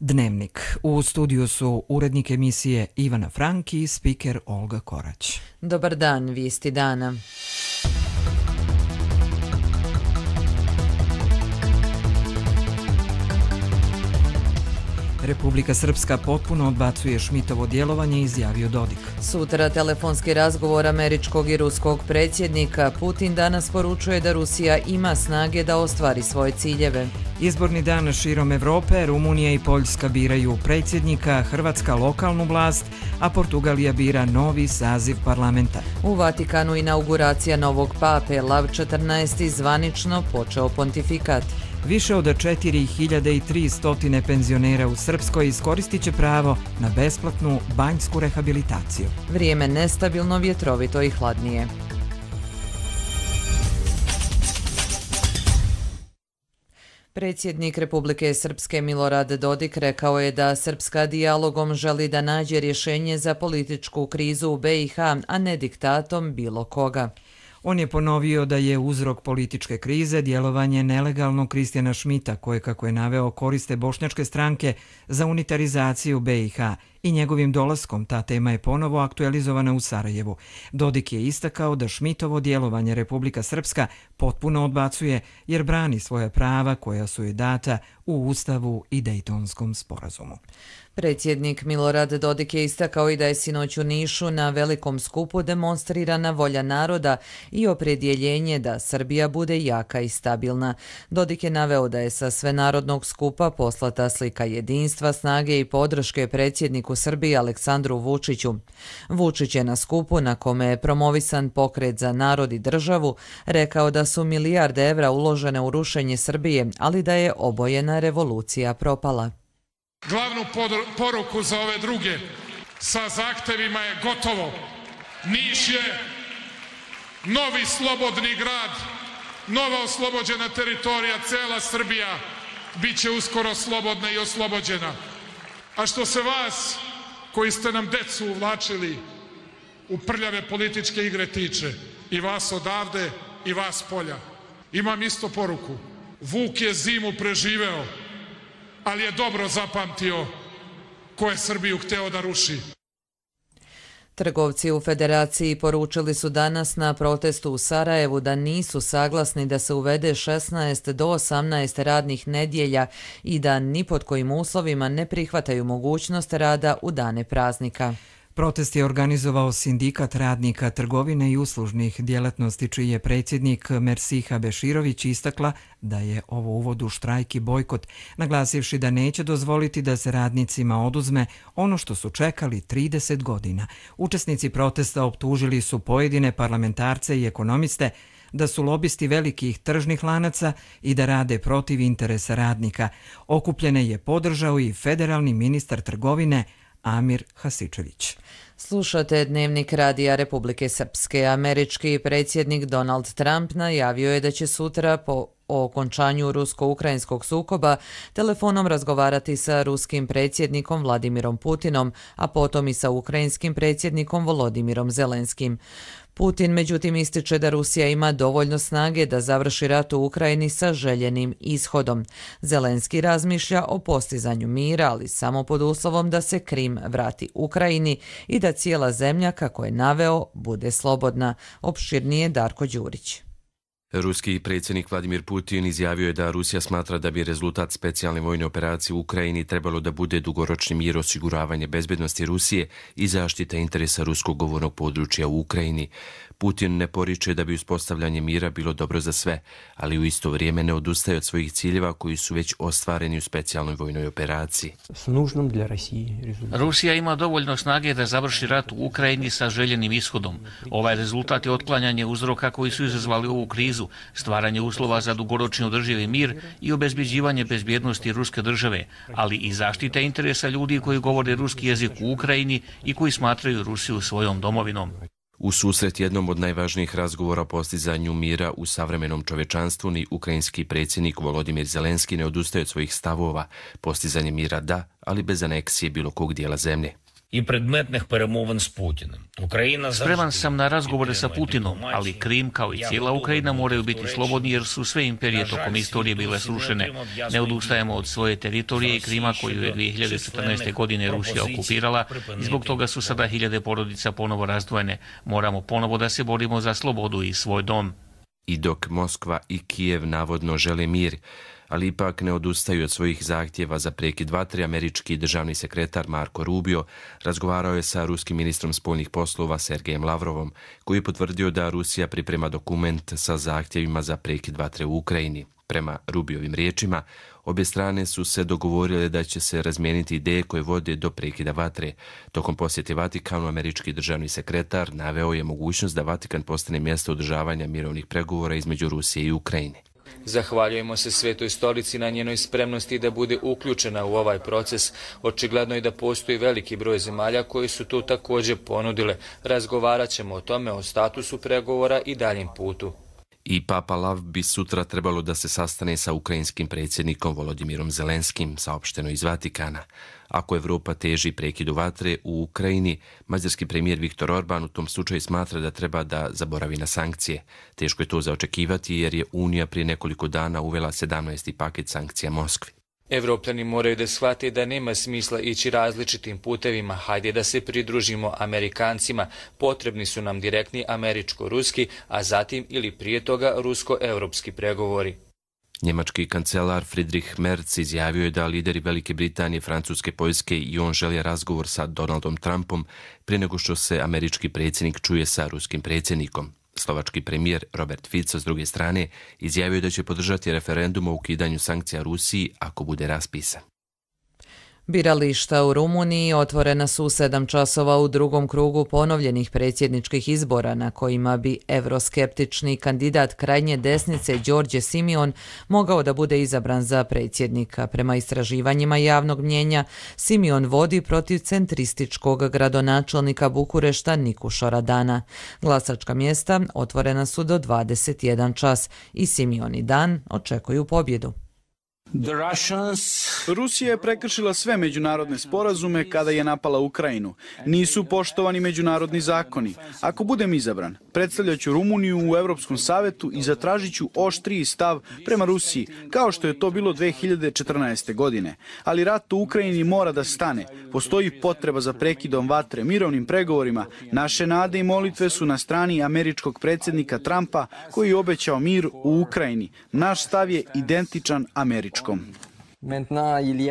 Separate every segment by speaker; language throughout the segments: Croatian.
Speaker 1: Dnevnik. U studiju su urednik emisije Ivana Franki i spiker Olga Korać.
Speaker 2: Dobar dan, vijesti dana.
Speaker 1: Republika Srpska potpuno odbacuje Šmitovo djelovanje, izjavio Dodik.
Speaker 2: Sutra telefonski razgovor američkog i ruskog predsjednika. Putin danas poručuje da Rusija ima snage da ostvari svoje ciljeve.
Speaker 1: Izborni dan širom Evrope, Rumunija i Poljska biraju predsjednika, Hrvatska lokalnu vlast, a Portugalija bira novi saziv parlamenta.
Speaker 2: U Vatikanu inauguracija novog pape, Lav XIV zvanično počeo pontifikat.
Speaker 1: Više od 4300 penzionera u Srpskoj iskoristit će pravo na besplatnu banjsku rehabilitaciju.
Speaker 2: Vrijeme nestabilno, vjetrovito i hladnije. Predsjednik Republike Srpske Milorad Dodik rekao je da Srpska dijalogom želi da nađe rješenje za političku krizu u BiH, a ne diktatom bilo koga.
Speaker 1: On je ponovio da je uzrok političke krize djelovanje nelegalnog Kristijana Šmita, koje, kako je naveo, koriste bošnjačke stranke za unitarizaciju BiH i njegovim dolaskom ta tema je ponovo aktualizovana u Sarajevu. Dodik je istakao da Šmitovo djelovanje Republika Srpska potpuno odbacuje jer brani svoja prava koja su joj data u Ustavu i Dejtonskom sporazumu.
Speaker 2: Predsjednik Milorad Dodik je istakao i da je sinoć u Nišu na velikom skupu demonstrirana volja naroda i opredjeljenje da Srbija bude jaka i stabilna. Dodik je naveo da je sa svenarodnog skupa poslata slika jedinstva, snage i podrške predsjedniku Srbije Aleksandru Vučiću. Vučić je na skupu na kome je promovisan pokret za narod i državu rekao da su milijarde evra uložene u rušenje Srbije, ali da je obojena revolucija propala.
Speaker 3: Glavnu poruku za ove druge sa zahtevima je gotovo. Niš je novi slobodni grad, nova oslobođena teritorija, cela Srbija bit će uskoro slobodna i oslobođena. A što se vas, koji ste nam decu uvlačili u prljave političke igre tiče, i vas odavde i vas polja, imam isto poruku. Vuk je zimu preživeo, ali je dobro zapamtio ko je Srbiju hteo da ruši.
Speaker 2: Trgovci u Federaciji poručili su danas na protestu u Sarajevu da nisu saglasni da se uvede 16 do 18 radnih nedjelja i da ni pod kojim uslovima ne prihvataju mogućnost rada u dane praznika.
Speaker 1: Protest je organizovao Sindikat radnika trgovine i uslužnih djelatnosti, čiji je predsjednik Mersiha Beširović istakla da je ovo uvod u štrajk i bojkot, naglasivši da neće dozvoliti da se radnicima oduzme ono što su čekali 30 godina. Učesnici protesta optužili su pojedine parlamentarce i ekonomiste da su lobisti velikih tržnih lanaca i da rade protiv interesa radnika. Okupljene je podržao i federalni ministar trgovine Amir Hasičević.
Speaker 2: Slušate Dnevnik radija Republike Srpske. Američki predsjednik Donald Trump najavio je da će sutra po okončanju rusko-ukrajinskog sukoba telefonom razgovarati sa ruskim predsjednikom Vladimirom Putinom, a potom i sa ukrajinskim predsjednikom Volodimirom Zelenskim. Putin međutim ističe da Rusija ima dovoljno snage da završi rat u Ukrajini sa željenim ishodom. Zelenski razmišlja o postizanju mira, ali samo pod uslovom da se Krim vrati Ukrajini i da cijela zemlja, kako je naveo, bude slobodna. Opširnije Darko Đurić.
Speaker 4: Ruski predsjednik Vladimir Putin izjavio je da Rusija smatra da bi rezultat specijalne vojne operacije u Ukrajini trebalo da bude dugoročni mir, osiguravanje bezbednosti Rusije i zaštita interesa ruskog govornog područja u Ukrajini. Putin ne poriče da bi uspostavljanje mira bilo dobro za sve, ali u isto vrijeme ne odustaje od svojih ciljeva koji su već ostvareni u specijalnoj vojnoj operaciji.
Speaker 5: Rusija ima dovoljno snage da završi rat u Ukrajini sa željenim ishodom. Ovaj rezultat je otklanjanje uzroka koji su izazvali ovu krizu, stvaranje uslova za dugoročni održivi mir i obezbeđivanje bezbjednosti ruske države, ali i zaštita interesa ljudi koji govore ruski jezik u Ukrajini i koji smatraju Rusiju svojom domovinom.
Speaker 4: U susret jednom od najvažnijih razgovora o postizanju mira u savremenom čovečanstvu ni ukrajinski predsjednik Volodimir Zelenski ne odustaje od svojih stavova. Postizanje mira da, ali bez aneksije bilo kog dijela zemlje.
Speaker 6: i predmetnih перемовин s Putinom.
Speaker 5: Spreman sam na razgovore sa Putinom, ali Krim kao i cijela Ukrajina moraju biti slobodni jer su sve imperije tokom istorije bile srušene. Ne odustajemo od svoje teritorije i Krima koju je 2014. godine Rusija okupirala i zbog toga su sada hiljade porodica ponovo razdvojene. Moramo ponovo da se borimo za slobodu i svoj dom.
Speaker 4: I dok Moskva i Kijev navodno žele mir, ali ipak ne odustaju od svojih zahtjeva za prekid vatre, američki državni sekretar Marco Rubio razgovarao je sa ruskim ministrom spoljnih poslova Sergejem Lavrovom, koji je potvrdio da Rusija priprema dokument sa zahtjevima za prekid vatre u Ukrajini. Prema Rubiovim riječima, obje strane su se dogovorile da će se razmijeniti ideje koje vode do prekida vatre. Tokom posjete Vatikanu, američki državni sekretar naveo je mogućnost da Vatikan postane mjesto održavanja mirovnih pregovora između Rusije i Ukrajine.
Speaker 7: Zahvaljujemo se Svetoj stolici na njenoj spremnosti da bude uključena u ovaj proces. Očigledno je da postoji veliki broj zemalja koji su to također ponudile. Razgovarat ćemo o tome, o statusu pregovora i daljem putu.
Speaker 4: I Papa Lav bi sutra trebalo da se sastane sa ukrajinskim predsjednikom Volodimirom Zelenskim, saopšteno iz Vatikana. Ako Evropa teži prekidu vatre u Ukrajini, mađarski premijer Viktor Orban u tom slučaju smatra da treba da zaboravi na sankcije. Teško je to za očekivati jer je Unija prije nekoliko dana uvela 17. paket sankcija Moskvi.
Speaker 7: Evropljani moraju da shvate da nema smisla ići različitim putevima. Hajde da se pridružimo Amerikancima. Potrebni su nam direktni američko-ruski, a zatim ili prije toga rusko-evropski pregovori.
Speaker 4: Njemački kancelar Friedrich Merz izjavio je da lideri Velike Britanije, Francuske, Poljske i on žele razgovor sa Donaldom Trumpom prije nego što se američki predsjednik čuje sa ruskim predsjednikom. Slovački premijer Robert Fico s druge strane izjavio da će podržati referendum o ukidanju sankcija Rusiji ako bude raspisan.
Speaker 2: Birališta u Rumuniji otvorena su u 7 časova u drugom krugu ponovljenih predsjedničkih izbora na kojima bi evroskeptični kandidat krajnje desnice Đorđe Simion mogao da bude izabran za predsjednika. Prema istraživanjima javnog mnjenja, Simion vodi protiv centrističkog gradonačelnika Bukurešta Nikuša Radana. Glasačka mjesta otvorena su do 21 čas i Simion i Dan očekuju pobjedu.
Speaker 8: Rusija je prekršila sve međunarodne sporazume kada je napala Ukrajinu. Nisu poštovani međunarodni zakoni. Ako budem izabran, predstavljat ću Rumuniju u Europskom savetu i zatražit ću oštriji stav prema Rusiji, kao što je to bilo 2014. godine. Ali rat u Ukrajini mora da stane. Postoji potreba za prekidom vatre, mirovnim pregovorima. Naše nade i molitve su na strani američkog predsjednika Trumpa koji je obećao mir u Ukrajini. Naš stav je identičan američkom.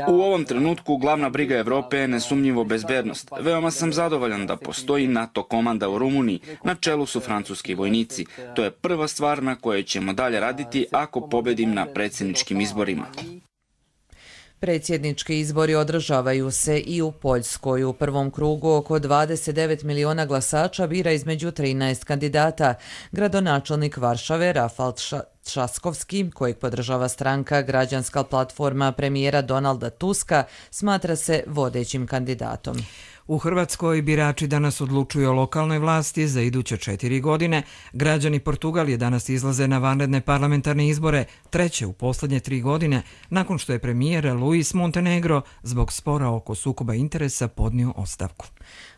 Speaker 9: U ovom trenutku glavna briga Evrope je nesumnjivo bezbednost. Veoma sam zadovoljan da postoji NATO komanda u Rumuniji, na čelu su francuski vojnici. To je prva stvar na kojoj ćemo dalje raditi ako pobedim na predsjedničkim izborima.
Speaker 2: Predsjednički izbori održavaju se i u Poljskoj. U prvom krugu oko 29 miliona glasača bira između 13 kandidata. Gradonačelnik Varšave Rafal Trzaskowski, kojeg podržava stranka Građanska platforma premijera Donalda Tuska, smatra se vodećim kandidatom.
Speaker 1: U Hrvatskoj birači danas odlučuju o lokalnoj vlasti za iduće 4 godine. Građani Portugalije danas izlaze na vanredne parlamentarne izbore, treće u posljednje 3 godine, nakon što je premijer Luis Montenegro zbog spora oko sukoba interesa podnio ostavku.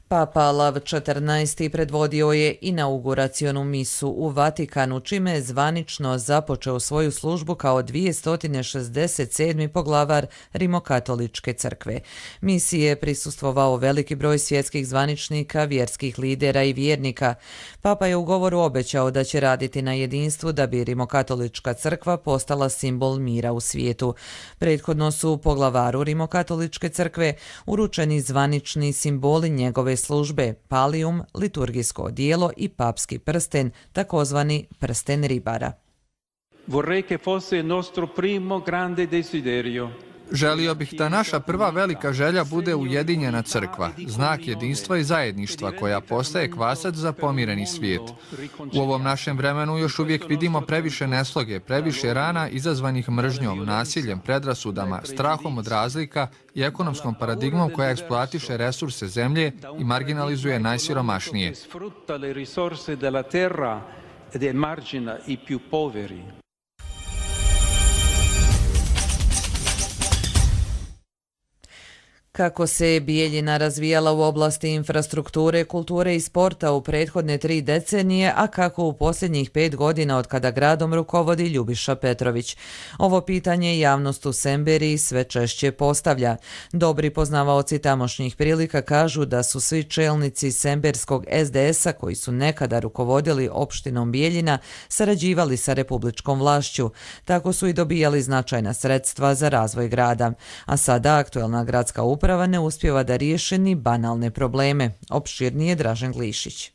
Speaker 2: Papa Lav XIV. Predvodio je inauguracionu misu u Vatikanu, čime je zvanično započeo svoju službu kao 267. poglavar Rimokatoličke crkve. Misi je prisustvovao veliki broj svjetskih zvaničnika, vjerskih lidera i vjernika. Papa je u govoru obećao da će raditi na jedinstvu da bi Rimokatolička crkva postala simbol mira u svijetu. Prethodno su poglavaru Rimokatoličke crkve uručeni zvanični simboli njegove službe, palijum, liturgijsko odijelo i papski prsten, takozvani prsten ribara.
Speaker 10: Vorrei che fosse nostro primo grande desiderio.
Speaker 11: Želio bih da naša prva velika želja bude ujedinjena crkva, znak jedinstva i zajedništva koja postaje kvasac za pomireni svijet. U ovom našem vremenu još uvijek vidimo previše nesloge, previše rana izazvanih mržnjom, nasiljem, predrasudama, strahom od razlika i ekonomskom paradigmom koja eksploatiše resurse zemlje i marginalizuje najsiromašnije.
Speaker 2: Kako se Bijeljina razvijala u oblasti infrastrukture, kulture i sporta u prethodne 3 decenije, a kako u posljednjih 5 godina od kada gradom rukovodi Ljubiša Petrović. Ovo pitanje javnost u Semberiji sve češće postavlja. Dobri poznavaoci tamošnjih prilika kažu da su svi čelnici semberskog SDS-a koji su nekada rukovodili opštinom Bijeljina sarađivali sa republičkom vlašću. Tako su i dobijali značajna sredstva za razvoj grada. A sada aktuelna gradska uprava ne uspijeva da riješi ni banalne probleme. Opširnije Dražen Glišić.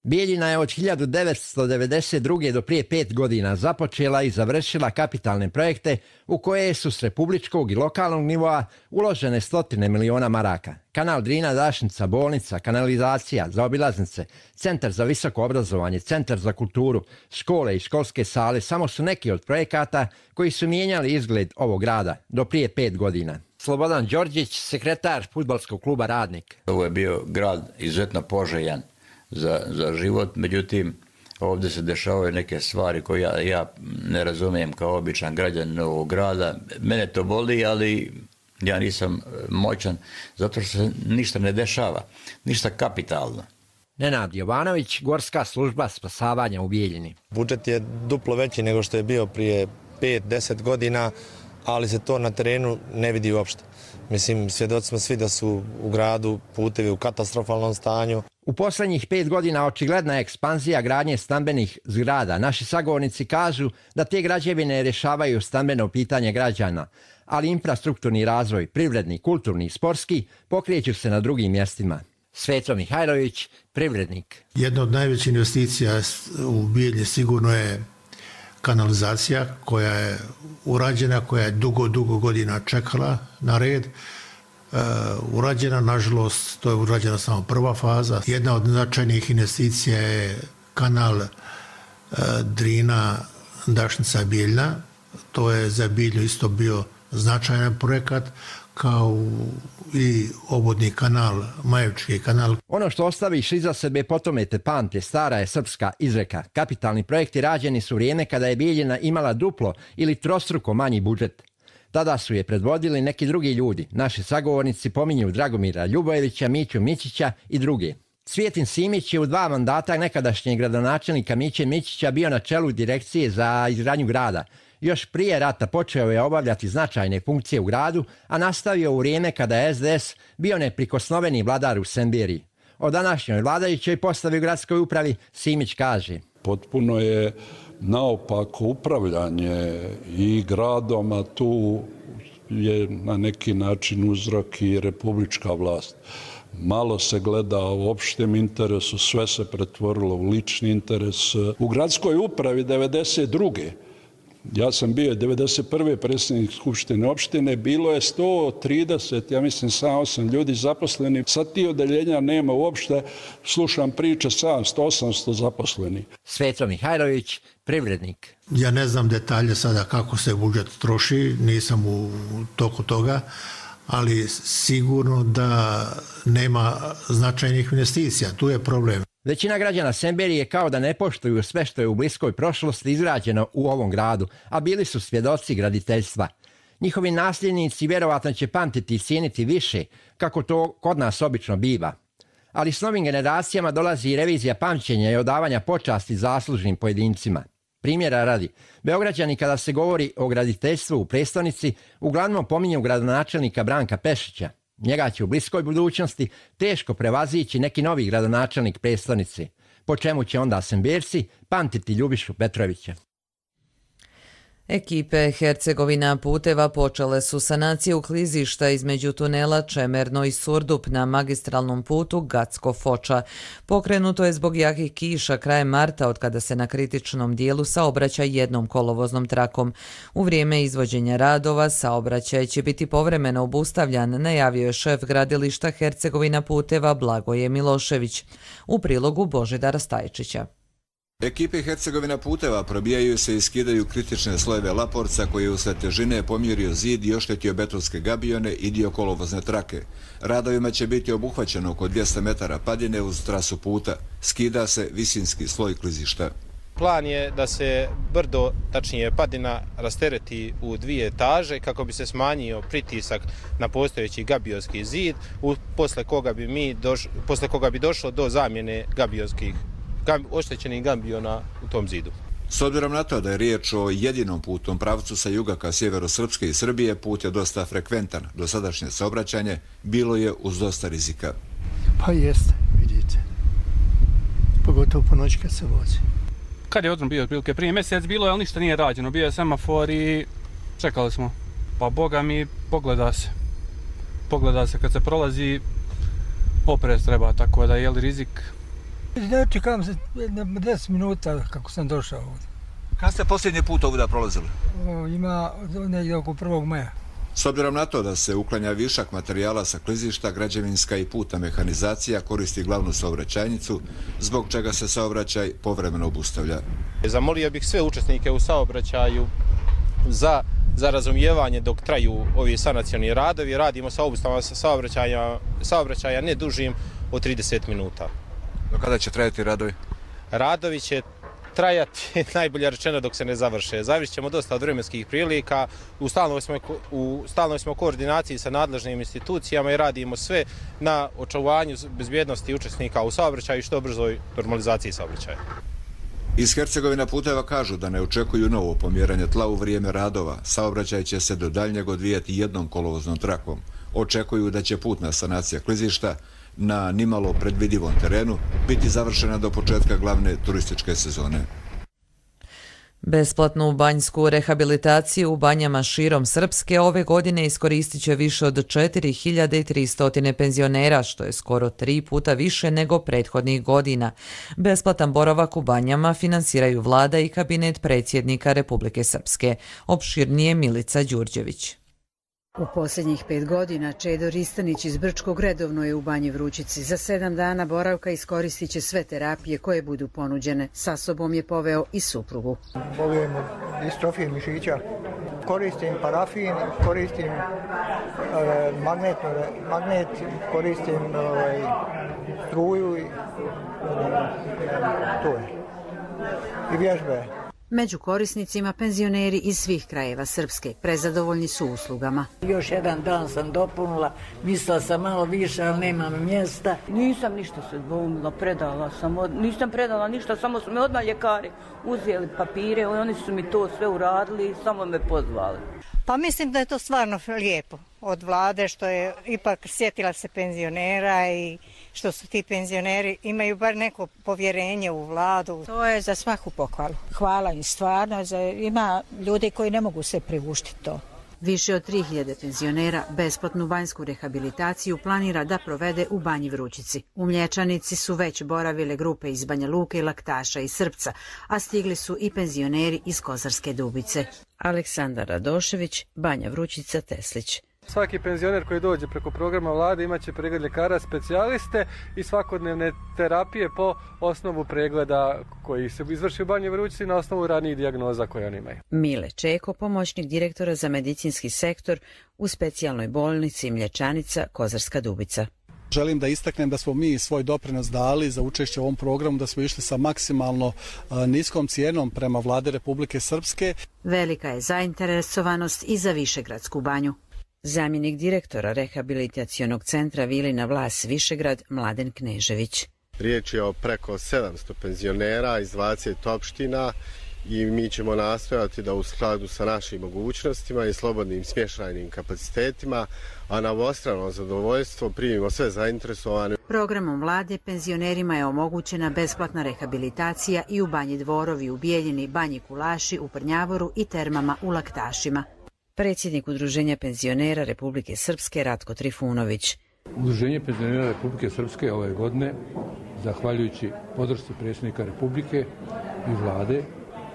Speaker 12: Bijeljina je od 1992. do prije 5 godina započela i završila kapitalne projekte u koje su s republičkog i lokalnog nivoa uložene stotine miliona maraka. Kanal Drina, Dašnica, bolnica, kanalizacija, zaobilaznice, centar za visoko obrazovanje, centar za kulturu, škole i školske sale samo su neki od projekata koji su mijenjali izgled ovog grada do prije 5 godina. Slobodan Đorđić, sekretar fudbalskog kluba Radnik.
Speaker 13: Ovo je bio grad izuzetno poželjan za život, međutim ovdje se dešavaju neke stvari koje ja ne razumijem kao običan građanin ovog grada. Mene to boli, ali ja nisam moćan zato što se ništa ne dešava, ništa kapitalno.
Speaker 12: Nenad Jovanović, Gorska služba spasavanja u Bijeljini.
Speaker 14: Budžet je duplo veći nego što je bio prije 5-10 godina, ali se to na terenu ne vidi uopšte. Mislim, svjedoci smo svi da su u gradu putevi u katastrofalnom stanju.
Speaker 12: U posljednjih 5 godina očigledna je ekspanzija gradnje stambenih zgrada. Naši sagovornici kažu da te građevine rješavaju stambeno pitanje građana, ali infrastrukturni razvoj, privredni, kulturni i sportski pokreću se na drugim mjestima. Sveto Mihajlović, privrednik.
Speaker 15: Jedna od najvećih investicija u Bijeljini sigurno je kanalizacija koja je urađena, koja je dugo godina čekala na red. Urađena, nažalost, to je urađena samo prva faza. Jedna od značajnih investicija je kanal Drina, Dašnica, Bijeljina. To je za Bijeljinu isto bio značajan projekat, kao i obodni kanal, Majevčki kanal.
Speaker 12: Ono što ostaviš iza sebe potome te pamte, stara je srpska izreka. Kapitalni projekti rađeni su vrijeme kada je Bijeljina imala duplo ili trostruko manji budžet. Tada su je predvodili neki drugi ljudi. Naši sagovornici pominju Dragomira Ljubojevića, Miću Mićića i druge. Cvijetin Simić je u 2 mandata nekadašnjeg gradonačelnika Miće Mićića bio na čelu direkcije za izgradnju grada. Još prije rata počeo je obavljati značajne funkcije u gradu, a nastavio u vrijeme kada je SDS bio neprikosnoveni vladar u Semberiji. O današnjoj vladajućoj postavi u gradskoj upravi Simić kaže:
Speaker 16: potpuno je naopako upravljanje i gradom, a tu je na neki način uzrok i republička vlast. Malo se gleda u opštem interesu, sve se pretvorilo u lični interes. U gradskoj upravi 92. Ja sam bio 91. predsjednik Skupštine opštine, bilo je 130, ja mislim 8 ljudi zaposleni. Sad ti odeljenja nema uopšte, slušam priče 700-800 zaposleni.
Speaker 12: Sveto Mihajlović, privrednik.
Speaker 15: Ja ne znam detalje sada kako se budžet troši, nisam u toku toga, ali sigurno da nema značajnih investicija, tu je problem.
Speaker 12: Većina građana Semberije kao da ne poštuju sve što je u bliskoj prošlosti izgrađeno u ovom gradu, a bili su svjedoci graditeljstva. Njihovi nasljednici vjerovatno će pamtiti i cijeniti više, kako to kod nas obično biva. Ali s novim generacijama dolazi i revizija pamćenja i odavanja počasti zaslužnim pojedincima. Primjera radi, Beograđani kada se govori o graditeljstvu u prestonici, uglavnom pominju gradonačelnika Branka Pešića. Njega će u bliskoj budućnosti teško prevazići neki novi gradonačelnik prestonice, po čemu će onda Semberci pamtiti Ljubišu Petrovića.
Speaker 2: Ekipe Hercegovina puteva počele su sanaciju klizišta između tunela Čemerno i Surdup na magistralnom putu Gacko-Foča. Pokrenuto je zbog jakih kiša krajem marta, od kada se na kritičnom dijelu saobraća jednom kolovoznom trakom. U vrijeme izvođenja radova saobraćaj će biti povremeno obustavljan, najavio je šef gradilišta Hercegovina puteva Blagoje Milošević. U prilogu Božidara Stajčića.
Speaker 17: Ekipe Hercegovina puteva probijaju se i skidaju kritične slojeve laporca koji je usled težine pomjerio zid i oštetio betonske gabione i dio kolovozne trake. Radovima će biti obuhvaćeno oko 200 metara padine uz trasu puta. Skida se visinski sloj klizišta.
Speaker 18: plan je da se brdo, tačnije padina, rastereti u 2 etaže kako bi se smanjio pritisak na postojeći gabionski zid, posle koga bi došlo do zamjene oštećenih gabiona u tom zidu.
Speaker 17: S obzirom na to da je riječ o jedinom putnom pravcu sa juga ka sjeveru Srpske i Srbije, put je dosta frekventan. Dosadašnje saobraćanje bilo je uz dosta rizika.
Speaker 15: Pa jeste, vidite. Pogotovo po noći kad se vozi.
Speaker 19: Kad je odron bio otprilike prije mjesec bilo je, ali ništa nije rađeno. Bio je semafor i čekali smo. Pa boga mi pogleda se. Pogleda se kad se prolazi, oprez treba, tako da je li rizik.
Speaker 20: Čekam se 10 minuta kako sam došao ovdje.
Speaker 17: Kad ste posljednji put ovdje prolazili?
Speaker 20: Ima negdje oko 1. maja.
Speaker 17: S obzirom na to da se uklanja višak materijala sa klizišta, građevinska i putna mehanizacija koristi glavnu saobraćajnicu, zbog čega se saobraćaj povremeno obustavlja.
Speaker 18: Zamolio bih sve učesnike u saobraćaju za razumijevanje dok traju ovi sanacioni radovi. Radimo sa obustavama saobraćaja ne dužim od 30 minuta.
Speaker 17: Do kada će trajati radovi?
Speaker 18: Radovi će trajati, najbolje rečeno, dok se ne završe. Zavisit ćemo dosta od vremenskih prilika. U stalnoj smo koordinaciji sa nadležnim institucijama i radimo sve na očuvanju bezbjednosti učesnika u saobraćaju i što brzoj normalizaciji saobraćaja.
Speaker 17: Iz Hercegovina puteva kažu da ne očekuju novo pomjeranje tla u vrijeme radova. Saobraćaj će se do daljnjeg odvijati jednom kolovoznom trakom. Očekuju da će putna sanacija klizišta na nimalo predvidivom terenu biti završena do početka glavne turističke sezone.
Speaker 2: Besplatnu banjsku rehabilitaciju u banjama širom Srpske ove godine iskoristit će više od 4300 penzionera, što je skoro 3 puta više nego prethodnih godina. Besplatan boravak u banjama finansiraju vlada i kabinet predsjednika Republike Srpske. Opširnije Milica Đurđević.
Speaker 21: U posljednjih 5 godina Čedo Ristanić iz Brčkog redovno je u Banji Vrućici. Za 7 dana boravka iskoristit će sve terapije koje budu ponuđene. Sa sobom je poveo i suprugu.
Speaker 20: Bolujem od distrofije mišića. Koristim parafin, koristim magnet, koristim struju i to je. I vježbe.
Speaker 21: Među korisnicima penzioneri iz svih krajeva Srpske. Prezadovoljni su uslugama.
Speaker 22: Još jedan dan sam dopunila, mislila sam malo više, ali nemam mjesta.
Speaker 23: Nisam ništa se dvoumila, nisam predala ništa, samo su me odmah ljekari uzeli papire, oni su mi to sve uradili i samo me pozvali.
Speaker 24: Pa mislim da je to stvarno lijepo od vlade što je ipak sjetila se penzionera i što su ti penzioneri imaju bar neko povjerenje u vladu.
Speaker 25: To je za svaku pohvalu. Hvala im stvarno, ima ljudi koji ne mogu se priuštiti to.
Speaker 21: Više od 3000 penzionera besplatnu banjsku rehabilitaciju planira da provede u Banji Vrućici. U Mlječanici su već boravile grupe iz Banja Luke i Laktaša i Srpca, a stigli su i penzioneri iz Kozarske Dubice. Aleksandar Radošević, Banja Vrućica, Teslić.
Speaker 19: Svaki penzioner koji dođe preko programa vlade imaće pregled ljekara specijaliste i svakodnevne terapije po osnovu pregleda koji se izvrši u Banji Vrućici na osnovu ranijih dijagnoza koje oni imaju.
Speaker 21: Mile Čeko, pomoćnik direktora za medicinski sektor u specijalnoj bolnici Mlječanica, Kozarska Dubica.
Speaker 26: Želim da istaknem da smo mi svoj doprinos dali za učešće u ovom programu, da smo išli sa maksimalno niskom cijenom prema vlade Republike Srpske.
Speaker 21: Velika je zainteresovanost i za Višegradsku banju. Zamjenik direktora rehabilitacionog centra Vilina Vlas Višegrad, Mladen Knežević.
Speaker 27: Riječ je o preko 700 penzionera iz 20 opština i mi ćemo nastojati da u skladu sa našim mogućnostima i slobodnim smještajnim kapacitetima, a na obostrano zadovoljstvo primimo sve zainteresovane.
Speaker 21: Programom vlade penzionerima je omogućena besplatna rehabilitacija i u Banji Dvorovi, u Bijeljini, Banji Kulaši, u Prnjavoru i termama u Laktašima. Predsjednik Udruženja penzionera Republike Srpske Ratko Trifunović.
Speaker 28: Udruženje penzionera Republike Srpske ove godine, zahvaljujući podršci predsjednika Republike i vlade,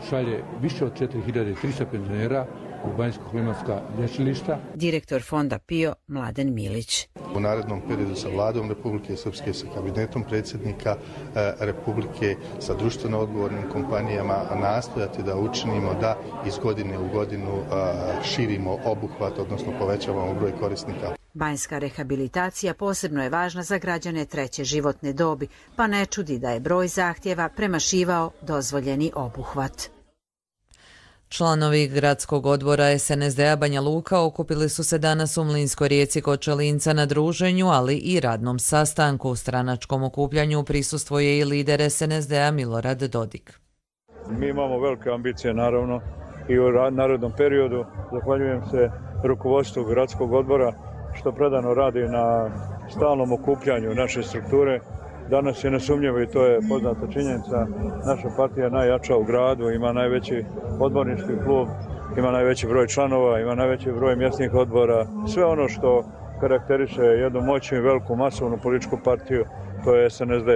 Speaker 28: šalje više od 4300 penzionera u banjsko-klimatska lječilišta.
Speaker 21: Direktor fonda PIO Mladen Milić.
Speaker 27: U narednom periodu sa vladom Republike Srpske, sa kabinetom predsjednika Republike, sa društveno odgovornim kompanijama nastojati da učinimo da iz godine u godinu širimo obuhvat, odnosno povećavamo broj korisnika.
Speaker 21: Banjska rehabilitacija posebno je važna za građane treće životne dobi, pa ne čudi da je broj zahtjeva premašivao dozvoljeni obuhvat.
Speaker 2: Članovi gradskog odbora SNSD-a Banja Luka okupili su se danas u Mlinskoj rijeci kod Čelinca na druženju, ali i radnom sastanku. U stranačkom okupljanju prisustvuje i lider SNSD-a Milorad Dodik.
Speaker 1: Mi imamo velike ambicije naravno i u narednom periodu. Zahvaljujem se rukovodstvu gradskog odbora što predano radi na stalnom okupljanju naše strukture. Danas je nesumnjivo i to je poznata činjenica. Naša partija je najjača u gradu, ima najveći odbornički klub, ima najveći broj članova, ima najveći broj mjesnih odbora. Sve ono što karakteriše jednu moćnu i veliku masovnu političku partiju, to je SNSD.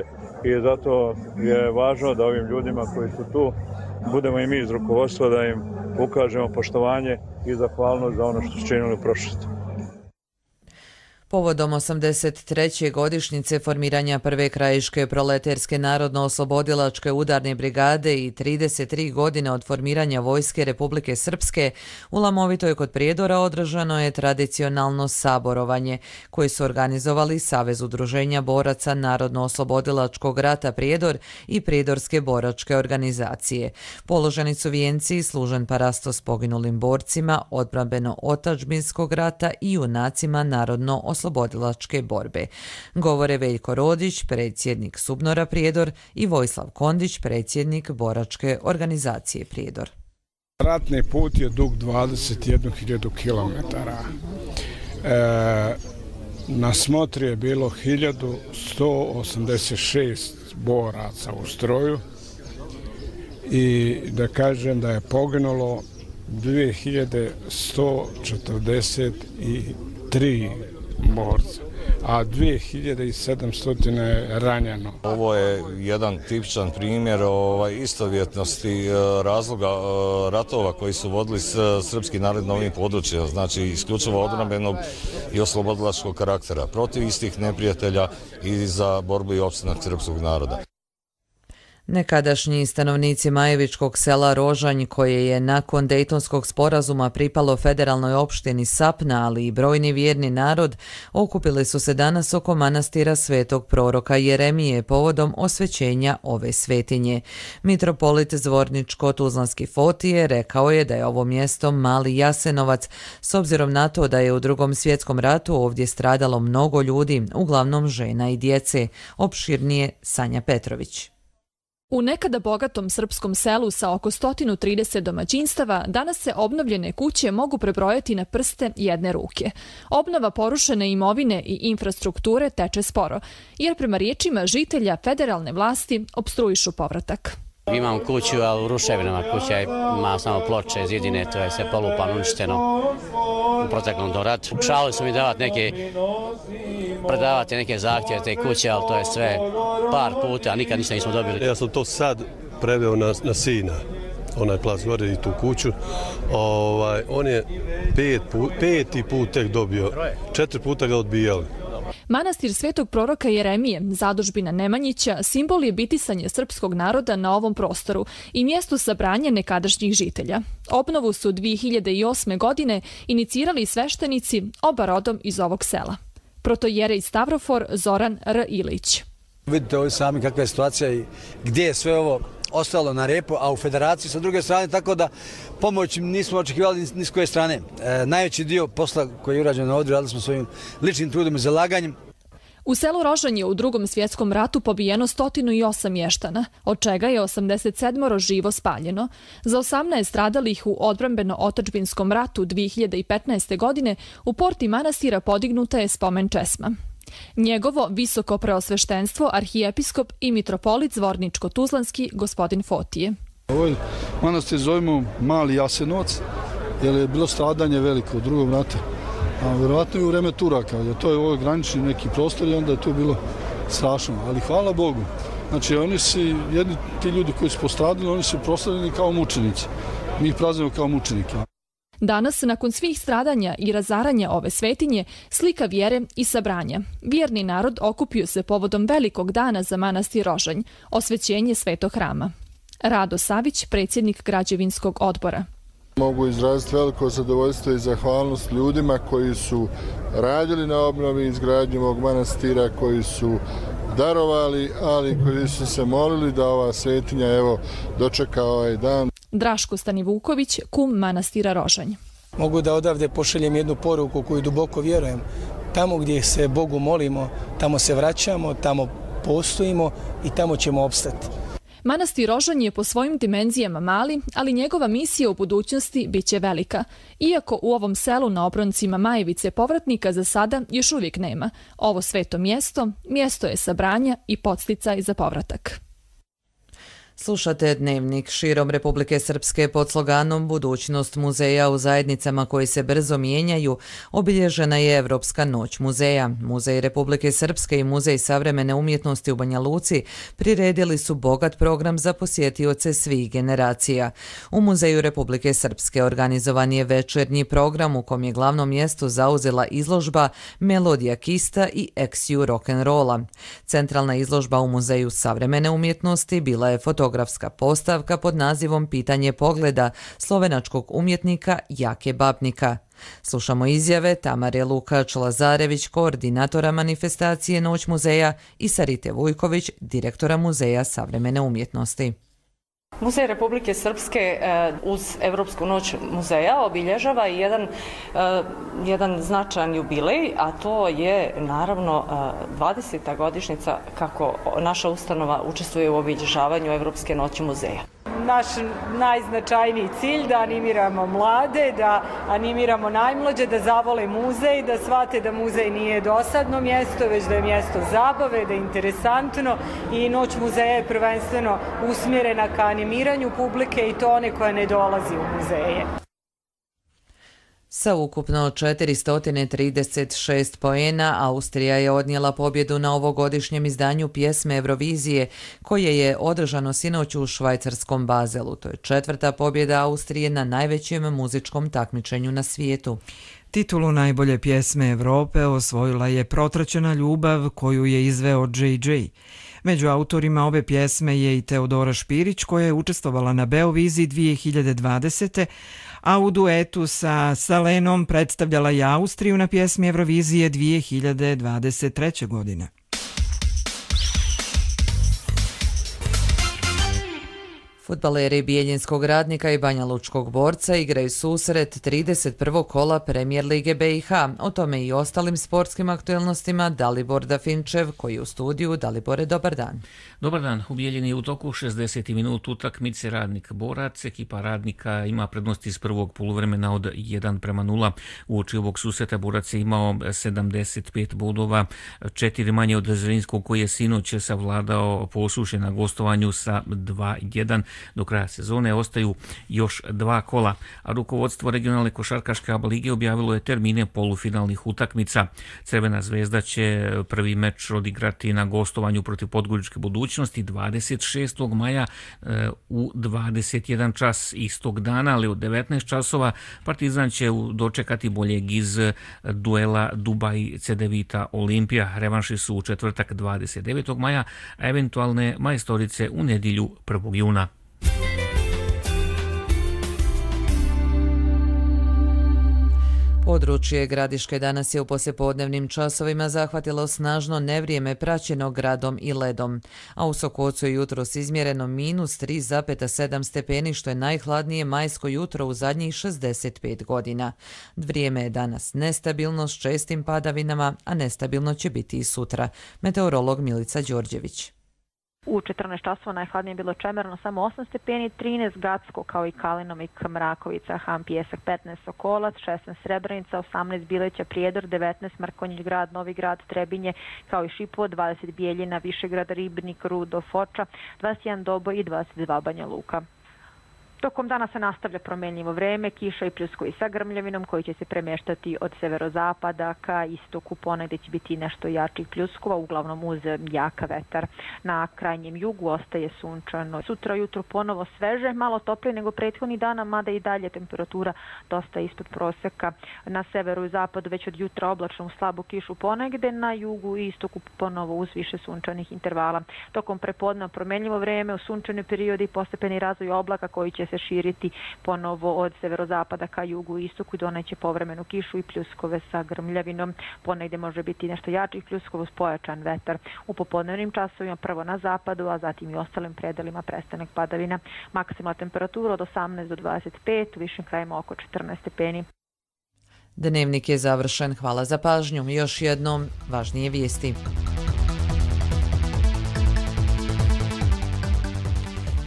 Speaker 1: I zato je važno da ovim ljudima koji su tu budemo i mi iz rukovodstva, da im ukažemo poštovanje i zahvalnost za ono što su činili u prošlosti.
Speaker 2: Povodom 83. godišnjice formiranja prve krajiške proleterske narodno-oslobodilačke udarne brigade i 33 godine od formiranja Vojske Republike Srpske, u Lamovitoj kod Prijedora održano je tradicionalno saborovanje, koje su organizovali Savez udruženja boraca Narodno-oslobodilačkog rata Prijedor i Prijedorske boračke organizacije. Položeni su vijenci i služen parastos poginulim borcima odbrambeno-otadžbinskog rata i junacima narodno-oslobodilačke borbe. Govore Veljko Rodić, predsjednik Subnora Prijedor, i Vojislav Kondić, predsjednik boračke organizacije Prijedor.
Speaker 3: Ratni put je dug 21.000 km. Na smotri je bilo 1186 boraca u stroju i da kažem da je poginulo 2143 borca, a 2700 je ranjeno.
Speaker 4: Ovo je jedan tipičan primjer istovjetnosti razloga ratova koji su vodili srpski narod na ovim područjima, znači isključivo odbrambenog i oslobodilačkog karaktera, protiv istih neprijatelja i za borbu i opstanak srpskog naroda.
Speaker 2: Nekadašnji stanovnici Majevičkog sela Rožanj, koje je nakon Dejtonskog sporazuma pripalo federalnoj opštini Sapna, ali i brojni vjerni narod, okupili su se danas oko manastira svetog proroka Jeremije povodom osvećenja ove svetinje. Mitropolit Zvorničko-Tuzlanski Fotije rekao je da je ovo mjesto Mali Jasenovac, s obzirom na to da je u Drugom svjetskom ratu ovdje stradalo mnogo ljudi, uglavnom žena i djece. Opširnije Sanja Petrović.
Speaker 5: U nekada bogatom srpskom selu sa oko 130 domaćinstava danas se obnovljene kuće mogu prebrojati na prste jedne ruke. Obnova porušene imovine i infrastrukture teče sporo, jer prema riječima žitelja federalne vlasti opstruišu povratak.
Speaker 6: Imam kuću, ali u ruševinama. Kuća ima samo ploče, zidine, to je sve polupano, uništeno u proteklom ratu. Pokušavali su mi predavati neke zahtjeve te kuće, ali to je sve par puta, a nikad ništa nismo dobili.
Speaker 7: Ja sam to sad preveo na sina, onaj plac gore i tu kuću. On je peti put tek dobio, 4 puta ga odbijali.
Speaker 5: Manastir svetog proroka Jeremije, zadužbina Nemanjića, simbol je bitisanje srpskog naroda na ovom prostoru i mjesto sabranja nekadašnjih žitelja. Obnovu su 2008. godine inicirali sveštenici, oba rodom iz ovog sela. Protojerej Stavrofor Zoran R. Ilić.
Speaker 8: Vidite ovdje sami kakva je situacija i gdje je sve ovo ostalo na repu, a u federaciji sa druge strane, tako da pomoć nismo očekivali ni s koje strane. Najveći dio posla koji je urađen ovdje radili smo svojim ličnim trudom i zalaganjem.
Speaker 5: U selu Rožanj je u Drugom svjetskom ratu pobijeno 108 mještana, od čega je 87 živo spaljeno. Za 18 stradalih u odbrambeno-otadžbinskom ratu 2015. godine u porti manastira podignuta je spomen česma. Njegovo visoko preosveštenstvo, arhijepiskop i mitropolit Zvorničko-Tuzlanski gospodin Fotije.
Speaker 26: Ovaj manastir zovemo Mali Jasenovac, jer je bilo stradanje veliko u Drugom ratu. A vjerovatno i u vreme Turaka, jer to je ovo granični neki prostor i onda je to bilo strašno. Ali hvala Bogu. Znači, ti ljudi koji su postradili, oni su proslavljeni kao mučenici. Mi ih praznujemo kao mučenike.
Speaker 5: Danas, nakon svih stradanja i razaranja ove svetinje, slika vjere i sabranja. Vjerni narod okupio se povodom velikog dana za manastir Rožanj, osvećenje svetog hrama. Rado Savić, predsjednik građevinskog odbora.
Speaker 26: Mogu izraziti veliko zadovoljstvo i zahvalnost ljudima koji su radili na obnovi i izgradnji ovog manastira, koji su darovali, ali koji su se molili da ova svetinja dočeka ovaj dan.
Speaker 5: Draško Stanivuković, kum manastira Rožanj.
Speaker 9: Mogu da odavde pošaljem jednu poruku koju duboko vjerujem. Tamo gdje se Bogu molimo, tamo se vraćamo, tamo postojimo i tamo ćemo opstati.
Speaker 5: Manastir Rožanj je po svojim dimenzijama mali, ali njegova misija u budućnosti bit će velika. Iako u ovom selu na obroncima Majevice povratnika za sada još uvijek nema. Ovo sveto mjesto je sabranja i podsticaj za povratak.
Speaker 2: Slušate Dnevnik. Širom Republike Srpske pod sloganom Budućnost muzeja u zajednicama koji se brzo mijenjaju obilježena je Evropska noć muzeja. Muzej Republike Srpske i Muzej savremene umjetnosti u Banja Luci priredili su bogat program za posjetioce svih generacija. U Muzeju Republike Srpske organizovan je večernji program u kom je glavno mjesto zauzela izložba Melodija Kista i Eksiju rock'n'rolla. Centralna izložba u Muzeju savremene umjetnosti bila je fotografska postavka pod nazivom Pitanje pogleda slovenačkog umjetnika Jake Babnika. Slušamo izjave Tamare Lukač-Lazarević, koordinatora manifestacije Noć muzeja, i Sarite Vujković, direktora Muzeja savremene umjetnosti.
Speaker 10: Muzej Republike Srpske uz Evropsku noć muzeja obilježava jedan značajan jubilej, a to je naravno 20. godišnjica kako naša ustanova učestvuje u obilježavanju Evropske noći muzeja.
Speaker 11: Naš najznačajniji cilj da animiramo mlade, da animiramo najmlađe, da zavole muzej, da shvate da muzej nije dosadno mjesto, već da je mjesto zabave, da je interesantno, i Noć muzeja je prvenstveno usmjerena ka animiranju publike, i to one koja ne dolazi u muzeje.
Speaker 2: Sa ukupno 436 poena, Austrija je odnijela pobjedu na ovogodišnjem izdanju pjesme Eurovizije, koje je održano sinoć u švajcarskom Bazelu. To je 4. pobjeda Austrije na najvećem muzičkom takmičenju na svijetu.
Speaker 12: Titulu najbolje pjesme Evrope osvojila je Protraćena ljubav, koju je izveo JJ. Među autorima ove pjesme je i Teodora Špirić, koja je učestvovala na Beoviziji 2020. a u duetu sa Salenom predstavljala je Austriju na pjesmi Eurovizije 2023. godine.
Speaker 2: Fudbaleri Bijeljinskog Radnika i Banja Lučkog Borca igraju susret 31. kola Premijer Lige BiH. O tome i ostalim sportskim aktualnostima Dalibor Dafinčev, koji je u studiju. Dalibore, dobar dan.
Speaker 13: Dobar dan. U Bijeljini je u toku 60. minut utakmice Radnik Borac. Ekipa Radnika ima prednost iz prvog poluvremena od 1:0. Uoči ovog susreta Borac je imao 75 bodova, 4 manje od Zrinskog, koji je sinoć savladao Posušje na gostovanju sa 2:1. Do kraja sezone ostaju još 2 kola, a rukovodstvo regionalne košarkaške ABA lige objavilo je termine polufinalnih utakmica. Crvena zvezda će prvi meč odigrati na gostovanju protiv Podgoričke Budućnosti 26. maja u 21 čas istog dana, ali u 19 časova Partizan će dočekati boljeg iz duela Dubaj Cedevita Olimpija. Revanši su u četvrtak 29. maja, a eventualne majstorice u nedjelju 1. juna.
Speaker 2: Područje Gradiške danas je u poslijepodnevnim časovima zahvatilo snažno nevrijeme praćeno gradom i ledom, a u Sokocu je jutros izmjereno -3,7 stepeni, što je najhladnije majsko jutro u zadnjih 65 godina. Vrijeme je danas nestabilno s čestim padavinama, a nestabilno će biti i sutra. Meteorolog Milica Đorđević.
Speaker 14: U 14 časova najhladnije je bilo Čemerno, samo 8 stepeni, 13 Gacko kao i Kalinomik, Mrakovica, Han Pijesak, 15 Sokolac, 16 Srebrenica, 18 Bileća, Prijedor, 19 Markonjić grad, Novi grad, Trebinje kao i Šipovo, 20 Bijeljina, Višegrad, Ribnik, Rudo, Foča, 21 Doboj i 22 Banja Luka. Tokom dana se nastavlja promjenljivo vreme, kiša i pljuskovi sa grmljavinom koji će se premještati od severozapada ka istoku, ponegdje će biti nešto jačih pljuskova, uglavnom uz jaka vetar. Na krajnjem jugu ostaje sunčano. Sutra jutro ponovo sveže, malo toplije nego prethodnih dana, mada i dalje temperatura dosta ispod proseka. Na severu i zapadu već od jutra oblačno u slabu kišu ponegdje, na jugu i istoku ponovo uz više sunčanih intervala. Tokom prepodneva promjenljivo vreme, u sunčani periodi postepeni razvoj oblaka koji će se širiti ponovo od severozapada ka jugu i istoku i doneće povremenu kišu i pljuskove sa grmljavinom. Ponegdje može biti nešto jačih pljuskova uz pojačan vetar. U popodnevnim časovima prvo na zapadu, a zatim i ostalim predelima prestanak padavina. Maksimalna temperatura od 18 do 25, u višim krajima oko 14 stepeni.
Speaker 2: Dnevnik je završen. Hvala za pažnju. Još jednom važnije vijesti.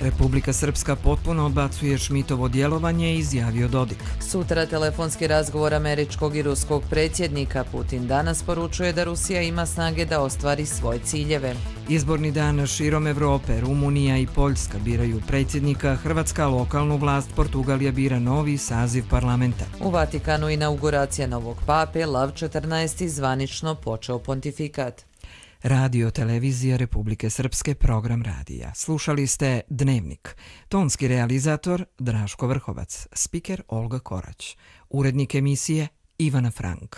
Speaker 12: Republika Srpska potpuno odbacuje Šmitovo djelovanje, izjavio Dodik.
Speaker 2: Sutra telefonski razgovor američkog i ruskog predsjednika. Putin danas poručuje da Rusija ima snage da ostvari svoje ciljeve.
Speaker 12: Izborni dan širom Evrope, Rumunija i Poljska biraju predsjednika, Hrvatska lokalnu vlast, Portugalija bira novi saziv parlamenta.
Speaker 2: U Vatikanu inauguracija novog pape, Lav 14. zvanično počeo pontifikat.
Speaker 12: Radio Televizija Republike Srpske, program radija. Slušali ste Dnevnik. Tonski realizator Draško Vrhovac, spiker Olga Korać, urednik emisije Ivana Frank.